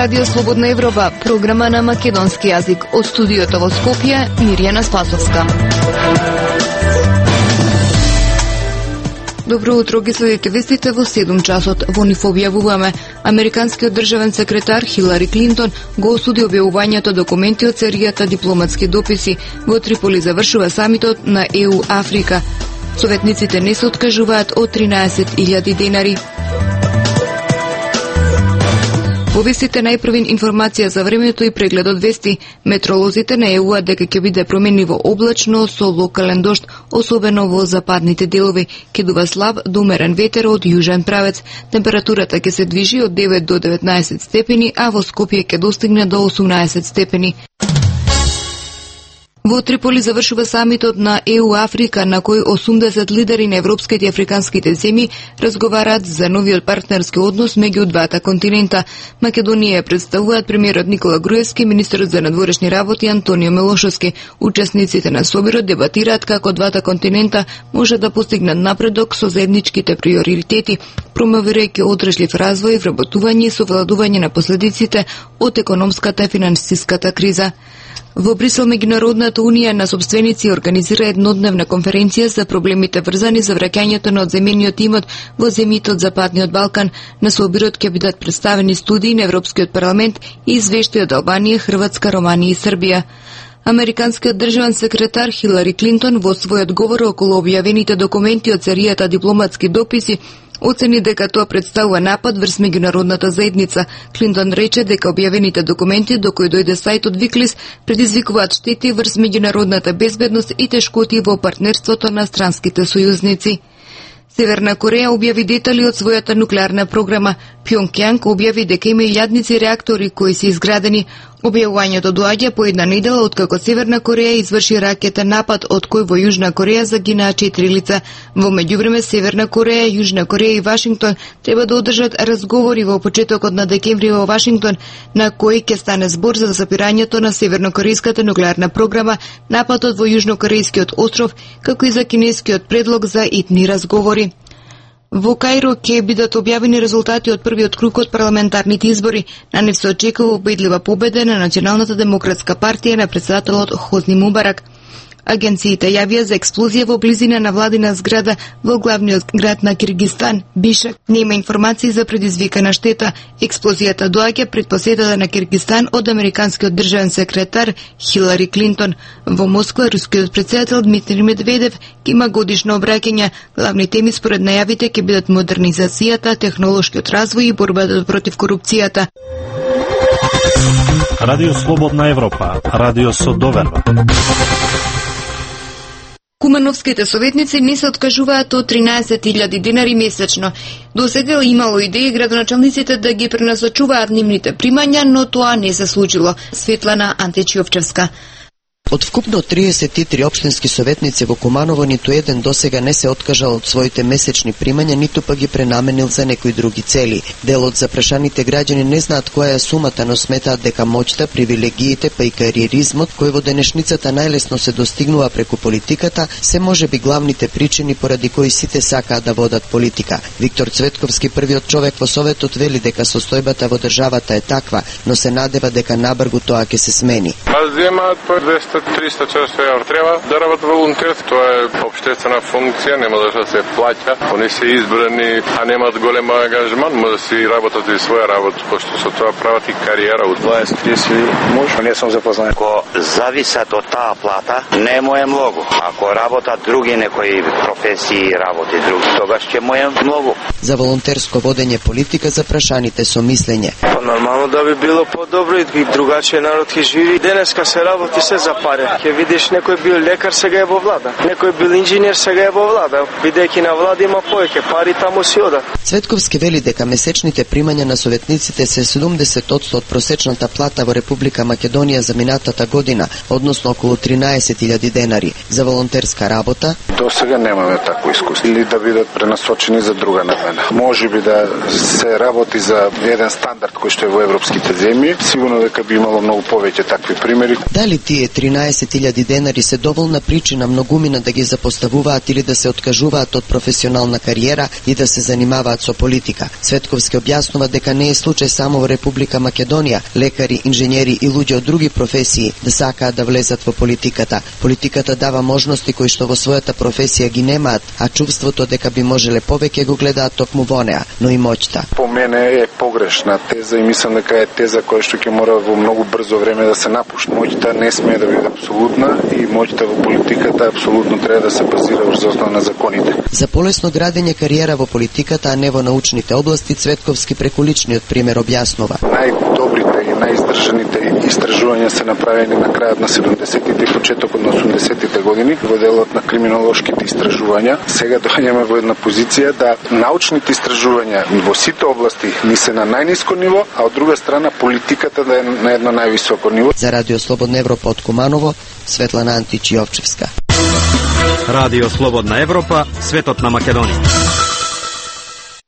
Радио Слободна Европа, програма на македонски јазик. Од студиото во Скопје, Мирјана Спасовска. Добро утро, ги следите вестите во 7 часот. Во нив објавуваме: американскиот државен секретар Хилари Клинтон го осуди објавувањето документи од серијата дипломатски дописи. Во Триполи завршува самитот на ЕУ Африка. Советниците не се откажуваат од 13.000 денари. Во вестите најпрвин информација за времето и прегледот вести. Метролозите најавуваат дека ќе биде променливо облачно со локален дожд, особено во западните делови. Ќе дува слаб до умерен ветер од јужен правец. Температурата ќе се движи од 9 до 19 степени, а во Скопје ќе достигне до 18 степени. Во Триполи завршува самитот на ЕУ Африка, на кој 80 лидери на европските и африканските земји разговараат за новиот партнерски однос меѓу двата континента. Македонија ја представуваат премиерот Никола Груевски и министерот за надворешни работи Антонио Милошевски. Учесниците на собирот дебатираат како двата континента може да постигнат напредок со заедничките приоритети, промовирајќи одржлив развој, вработување и совладување на последиците од економската и финансиската криза. Во Брисел Меѓународната унија на собственици организира еднодневна конференција за проблемите врзани за враќањето на одземениот имот во земјите од Западниот Балкан. На собирот ќе бидат представени студии на Европскиот парламент и извештаи од Албанија, Хрватска, Романија и Србија. Американскиот државен секретар Хилари Клинтон во својот говор околу објавените документи од серијата дипломатски дописи оцени дека тоа представува напад врз меѓународната заедница. Клинтон рече дека објавените документи до кои дојде сајтот Виклис предизвикуваат штети врз меѓународната безбедност и тешкоти во партнерството на странските сојузници. Северна Кореја објави детали од својата нуклеарна програма. Пјонгјанг објави дека има илјадници реактори кои се изградени. Објавувањето доаѓа по една недела откако Северна Кореја изврши ракетен напад од кој во Јужна Кореја загинаа 4 лица. Во меѓувреме Северна Кореја, Јужна Кореја и Вашингтон треба да одржат разговори во почетокот на декември во Вашингтон, на кои ќе стане збор за запирањето на севернокорејската нуклеарна програма, нападот во јужнокорејскиот остров, како и за кинескиот предлог за итни разговори. Во Каиро ќе бидат објавени резултати од првиот круг од парламентарните избори. На нив се очекува убедлива победа на Националната демократска партија на председателот Хозни Мубарак. Агенциите јавија за експлозија во близина на владина зграда во главниот град на Киргизстан, Бишкек. Нема информации за предизвикана штета. Експлозијата доаѓа пред посетата на Киргизстан од американскиот државен секретар Хилари Клинтон. Во Москва рускиот председател Дмитрий Медведев има годишно обраќање. Главни теми според најавите ќе бидат модернизацијата, технолошкиот развој и борбата против корупцијата. Радио Слободна Европа, радио со доверба. Кумановските советници не се откажуваат од 13.000 денари месечно. Досега имало идеи градоначалниците да ги пренасочуваат нивните примања, но тоа не се случило. Светлана Античиовчевска. Од вкупно 33 општински советници во Куманово ниту еден досега не се откажал од своите месечни примања, ниту па ги пренаменил за некои други цели. Дел од запрашаните граѓани не знаат која е сумата, но сметаат дека моќта, привилегиите па и кариеризмот, кој во денешницата најлесно се достигнува преку политиката, се можеби главните причини поради кои сите сакаат да водат политика. Виктор Цветковски, првиот човек во Советот, вели дека состојбата во државата е таква, но се надева дека набргу тоа ќе се смени. 300 часови треба да работат волонтерски. Тоа е општествена функција, нема да се плаќа. Они се избрани, а немаат голем ангажман, може да си работат и своја работа, пошто со тоа прават и кариера. 20-30 муж, не сум запознат. Ако зависат од таа плата, не му е многу. Ако работат други некои професии, работи други, тогаш ќе му е многу. За волонтерско водење политика запрашаните со мислење. Нормално да би било подобро и другачиј народ ќе живи. Денеска се работи се за пари. Ќе видиш некој бил лекар, сега е во влада. Некој бил инженер, сега е во влада. Бидејќи на влада има повеќе пари, таму си одат. Цветковски вели дека месечните примања на советниците се 70% од просечната плата во Република Македонија за минатата година, односно околу 13.000 денари. За волонтерска работа до сега немаме такво искуство или да бидат пренасочени за друга намена. Може би да се работи за еден стандард кој што е во европските земји, сигурно дека би имало многу повеќе такви примери. Дали тие 13 13.000 денари се доволна причина многумина да ги запоставуваат или да се откажуваат од професионална кариера и да се занимаваат со политика. Цветковски објаснува дека не е случај само во Република Македонија. Лекари, инженери и луѓе од други професии да сакаат да влезат во политиката. Политиката дава можности кои што во својата професија ги немаат, а чувството дека би можеле повеќе го гледаат токму во неа, но и моќта. По мене е погрешна теза и мислам дека е теза која што ќе мора во многу брзо време да се напушти. Моќта не смее да биде апсолутна и моќта во политиката апсолутно треба да се базира врз основа на законите. За полесно градење кариера во политиката, а не во научните области, Цветковски преку личниот пример објаснува. Најдобрите и најиздржаните истражувања се направени на крајот на 70-тите и почетокот на 80-тите години во делот на криминолошките истражувања. Сега доаѓаме во една позиција да научните истражувања во сите области ни се на најниско ниво, а од друга страна политиката да е на едно највисоко ниво. За Радио Слободна Европа од Куманово, Светлана Антич-Јовчевска. Радио Слободна Европа, светот на Македонија.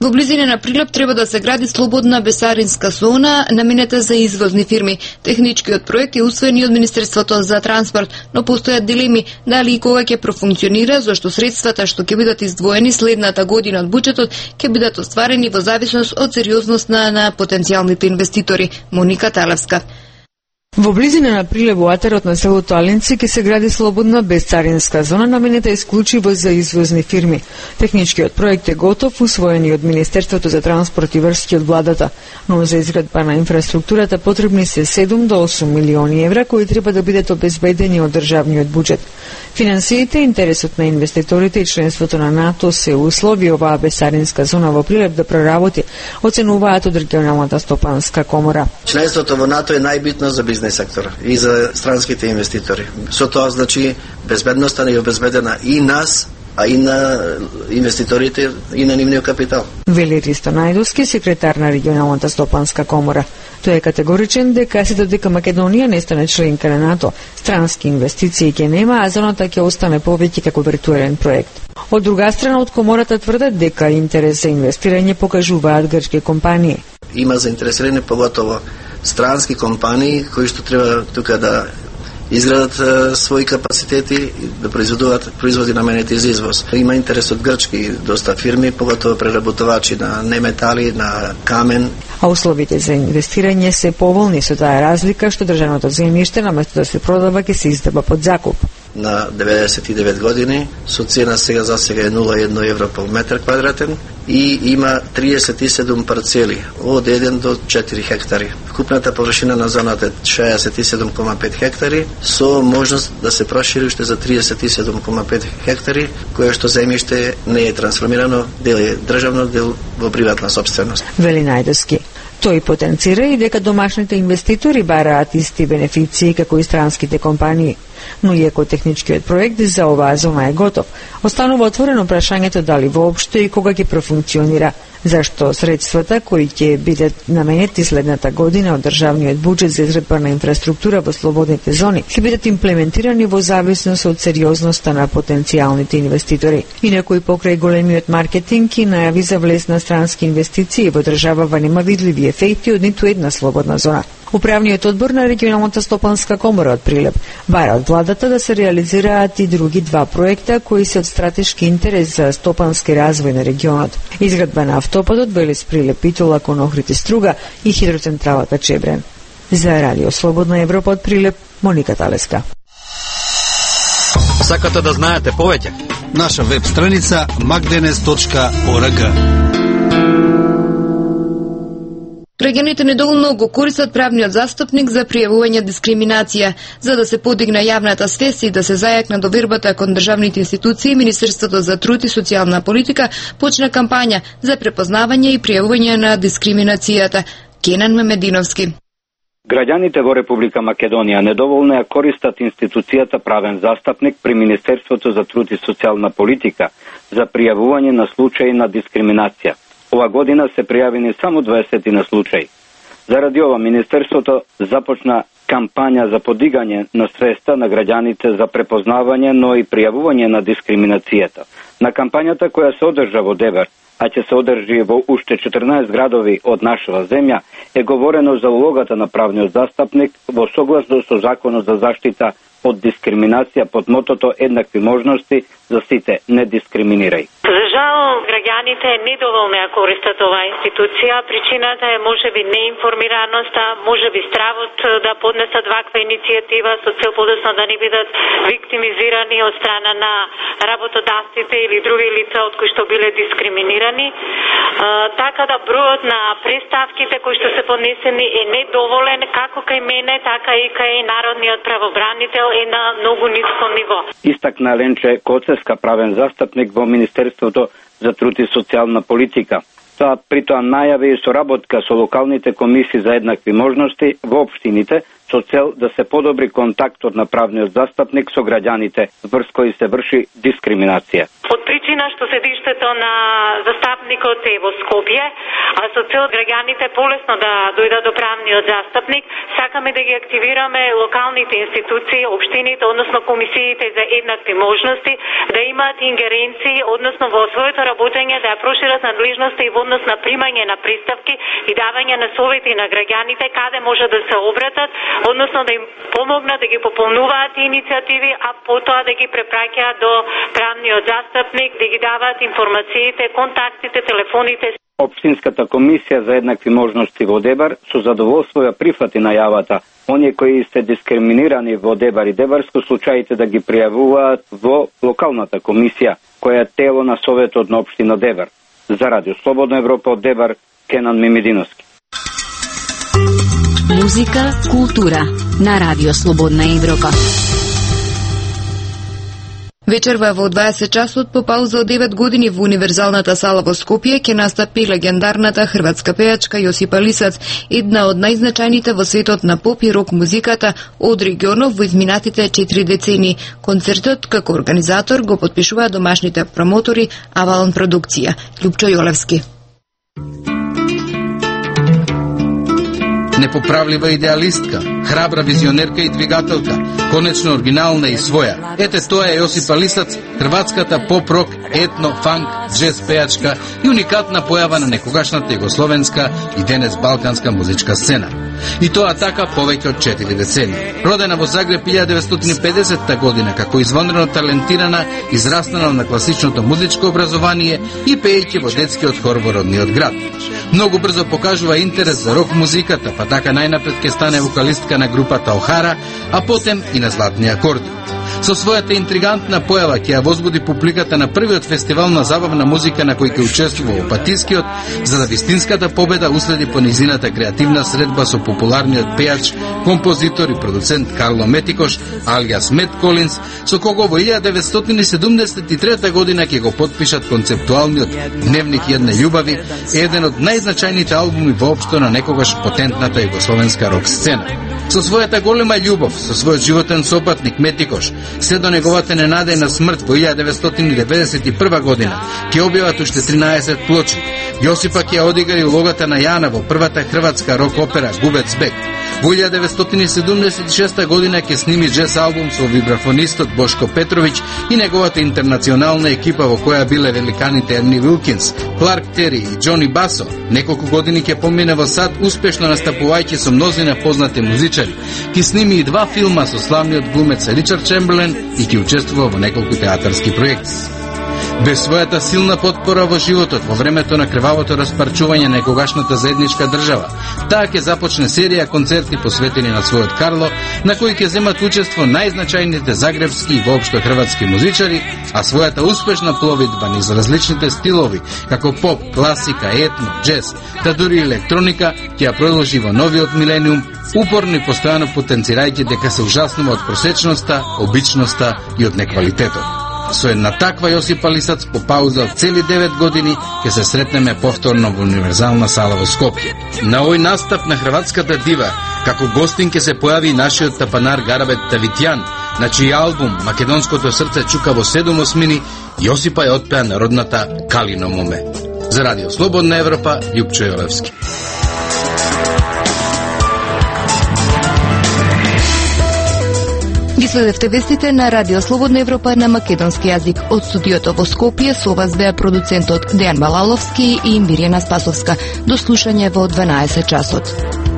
Во близина на Прилеп треба да се гради слободна бесаринска зона наменета за извозни фирми. Техничкиот проект е усвоен од Министерството за транспорт, но постојат дилеми дали и кога ќе профункционира, зашто средствата што ќе бидат издвоени следната година од буџетот ќе бидат остварени во зависност од сериозноста на потенцијалните инвеститори. Моника Талевска. Во близина на Прилеп во атарот на селото Алинци ќе се гради слободна бесцаринска зона наменета исклучиво за извозни фирми. Техничкиот проект е готов, усвоен од Министерството за транспорт и врски од владата, но за изградба на инфраструктурата потребни се 7 до 8 милиони евра кои треба да бидат обезбедени од државниот буџет. Финансиите, интересот на инвеститорите и членството на НАТО се услови оваа бесцаринска зона во Прилеп да проработи, оценуваат од регионалната стопанска комора. Членството во НАТО е најбитно за бизнес сектор и за странските инвеститори. Со тоа значи безбедноста не е обезбедена и нас, а и на инвеститорите и на нивниот капитал. Вели Ристо Најдовски, секретар на регионалната стопанска комора. Тој е категоричен дека се додека Македонија не стане членка на НАТО, странски инвестиции ќе нема, а зоната ќе остане повеќе како виртуелен проект. Од друга страна, од комората тврдат дека интерес за инвестирање покажуваат грчки компании. Има заинтересирани поготово странски компании кои што треба тука да изградат своји капацитети и да произведуваат производи наменети за извоз. Има интерес од грчки доста фирми, поготово преработувачи на неметали, на камен. А условите за инвестирање се поволни, со таа разлика што државното земјиште наместо да се продава ќе се издава под закуп. На 99 години со цена сега е 0,1 евро по метар квадратен и има 37 парцели од 1 до 4 хектари. Вкупната површина на зоната е 67,5 хектари со можност да се прошири уште за 37,5 хектари, кое што земјиште не е трансформирано, дел е државно, дел во приватна сопственост. Вели Најдовски. Тој потенцира и дека домашните инвеститори бараат исти бенефиции како и странските компании. Но иако техничкиот проект за оваа зона е готов, останува отворено прашањето дали воопшто и кога ќе профункционира, зашто средствата кои ќе бидат наменети следната година од државниот буџет за изградба на инфраструктура во слободните зони ќе бидат имплементирани во зависност од сериозноста на потенцијалните инвеститори. Инаку и покрај големиот маркетинг и најави за влез на странски инвестиции во државава нема видливи ефекти од ниту една слободна зона. Управниот одбор на регионалната стопанска комора од Прилеп бара од владата да се реализираат и други два проекта кои се од стратешки интерес за стопански развој на регионот. Изградба на автопатот Велес Прилеп Итола кон Охрид и Струга и хидроцентралата Чебрен. За Радио Слободна Европа од Прилеп, Моника Талеска. Сакате да знаете повеќе? Наша веб страница magdenes.org. Граѓаните недоволно го користат правниот застапник за пријавување дискриминација. За да се подигне јавната свест и да се зајакне довербата кон државните институции, Министерството за труд и социјална политика почна кампања за препознавање и пријавување на дискриминацијата. Кенан Мемединовски. Граѓаните во Република Македонија недоволно ја користат институцијата правен застапник при Министерството за труд и социјална политика за пријавување на случаи на дискриминација. Ова година се пријавени само 20 на случаи. Заради ова, Министерството започна кампања за подигање на свеста на граѓаните за препознавање, но и пријавување на дискриминацијата. На кампањата која се одржа во Дебар, а ќе се одржи во уште 14 градови од нашава земја, е говорено за улогата на правниот застапник во согласно со Законот за заштита од дискриминација под мотото еднакви можности за сите, не дискриминирај. За жал, граѓаните недоволно ја користат оваа институција. Причината е можеби неинформираноста, можеби стравот да поднесат ваква иницијатива со цел подоцна да не бидат виктимизирани од страна на работодавците или други лица од кои што биле дискриминирани. Така да бројот на преставките кои што се поднесени е недоволен како кај мене, така и кај народниот правобранител е на многу ниско ниво. Истакна Ленче Коцевска, правен застапник во Министерството за труд и социјална политика. Тоа притоа најави и соработка со локалните комисии за еднакви можности во општините со цел да се подобри контактот на правниот застапник со граѓаните врз кои се врши дискриминација. Од причина што седиштето на застапникот е во Скопје, а со цел граѓаните полесно да дојдат до правниот застапник, сакаме да ги активираме локалните институции, општините, односно комисиите за еднакви можности, да имаат ингеренции, односно во своето работење да ја прошират надлежноста и во однос на примање на представки и давање на совети на граѓаните каде може да се обратат, односно да им помогнат да ги пополнуваат иницијативи, а потоа да ги препраќаат до правниот застапник, да ги даваат информациите, контактите, телефоните. Општинската комисија за еднакви можности во Дебар со задоволство ја прифати најавата оние кои се дискриминирани во Дебар и Дебарско случаите да ги пријавуваат во локалната комисија, која е тело на Советот на општина Дебар. За Радио Слободна Европа од Дебар, Кенан Мимидиновски. Музика, култура на Радио Слободна Европа. Вечерва во 20 часот по пауза од 9 години во Универзалната сала во Скопје ќе настапи легендарната хрватска пејачка Јосипа Лисац, една од најзначајните во светот на поп и рок музиката од регионов во изминатите 4 децении. Концертот како организатор го потпишуваат домашните промотори Авалон продукција. Љупчо Јолевски. Непоправлива идеалистка, храбра визионерка и двигателка, конечно оригинална и своја. Ете тоа е Јосипа Лисац, хрватската поп-рок, етно, фанк, джез пејачка и уникатна појава на некогашната југословенска и денес балканска музичка сцена. И тоа така повеќе од 4 децении. Родена во Загреб 1950 година како извонредно талентирана, израснала на класичното музичко образование и пеејќи во детскиот хор во родниот град. Многу брзо покажува интерес за рок музиката, па така најнапред ќе стане вокалистка на групата Охара, а потем и на Златни акорди. Со својата интригантна појава ќе ја возбуди публиката на првиот фестивал на забавна музика на кој ќе учествува во Опатискиот, за да вистинската победа уследи по низината креативна средба со популарниот пејач, композитор и продуцент Карло Метикош, алијас Мет Колинс, со кого во 1973 година ќе го потпишат концептуалниот Дневник едне љубави, еден од најзначајните албуми воопшто на некогаш потентната југословенска рок сцена. Со својата голема љубов, со својот животен сопатник Метикош, се до неговата ненадејна смрт во 1991 година, ќе објават уште 13 плочи. Јосипа ќе одигра и улогата на Јана во првата хрватска рок опера Губец бег. Во 1976 година ќе сними джез албум со вибрафонистот Бошко Петровиќ и неговата интернационална екипа во која биле великаните Ерни Вилкинс, Кларк Тери и Џони Басо. Неколку години ќе помине во САД, успешно настапувајќи со мнозина познати музичари. Ќе сними и 2 филма со славниот глумец Ричард Чемберлен и ќе учествува во неколку театарски проекти. Без својата силна потпора во животот во времето на крвавото распарчување на некогашната заедничка држава, таа ќе започне серија концерти посветени на својот Карло, на кои ќе земат учество најзначајните загребски и воопшто хрватски музичари, а својата успешна пловидба низ различните стилови, како поп, класика, етно, джез, та дури електроника, ќе ја продолжи во новиот милениум, упорно и постојано потенцирајќи дека се ужаснува од просечноста, обичноста и од неквалитетот. Со една таква Јосипа Лисац по пауза од цели 9 години ќе се сретнеме повторно во Универзална сала во Скопје. На овој настап на хрватската дива, како гостин ќе се појави нашиот тапанар Гарабет Тавитјан, на чиј албум Македонското срце чука во 7 осмини, Јосипа ја отпеа народната Калино моме. За Радио Слободна Европа, Љупчо Јолевски. Ги следевте вестите на Радио Слободна Европа на македонски јазик. Од студиото во Скопје со вас беа продуцентот Дејан Балаловски и Мирјана Спасовска. До слушање во 12 часот.